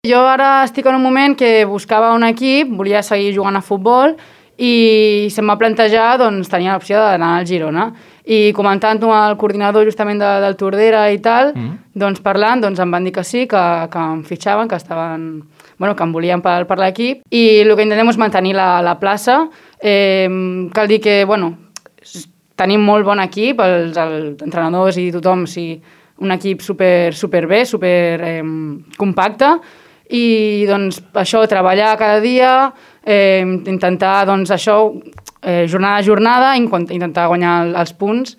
Jo ara estic en un moment que buscava un equip, volia seguir jugant a futbol i se'm va plantejar, doncs, tenia l'opció d'anar al Girona. I comentant-ho amb el coordinador justament del Tordera i tal, doncs parlant, doncs em van dir que sí, que em fitxaven, que estaven... Bueno, que em volien per l'equip. I el que intentem és mantenir la plaça. Cal dir que, bueno, tenim molt bon equip, els entrenadors i tothom, sí, un equip super bé, super compacte, i doncs això, treballar cada dia, intentar doncs això, jornada a jornada, intentar guanyar els punts.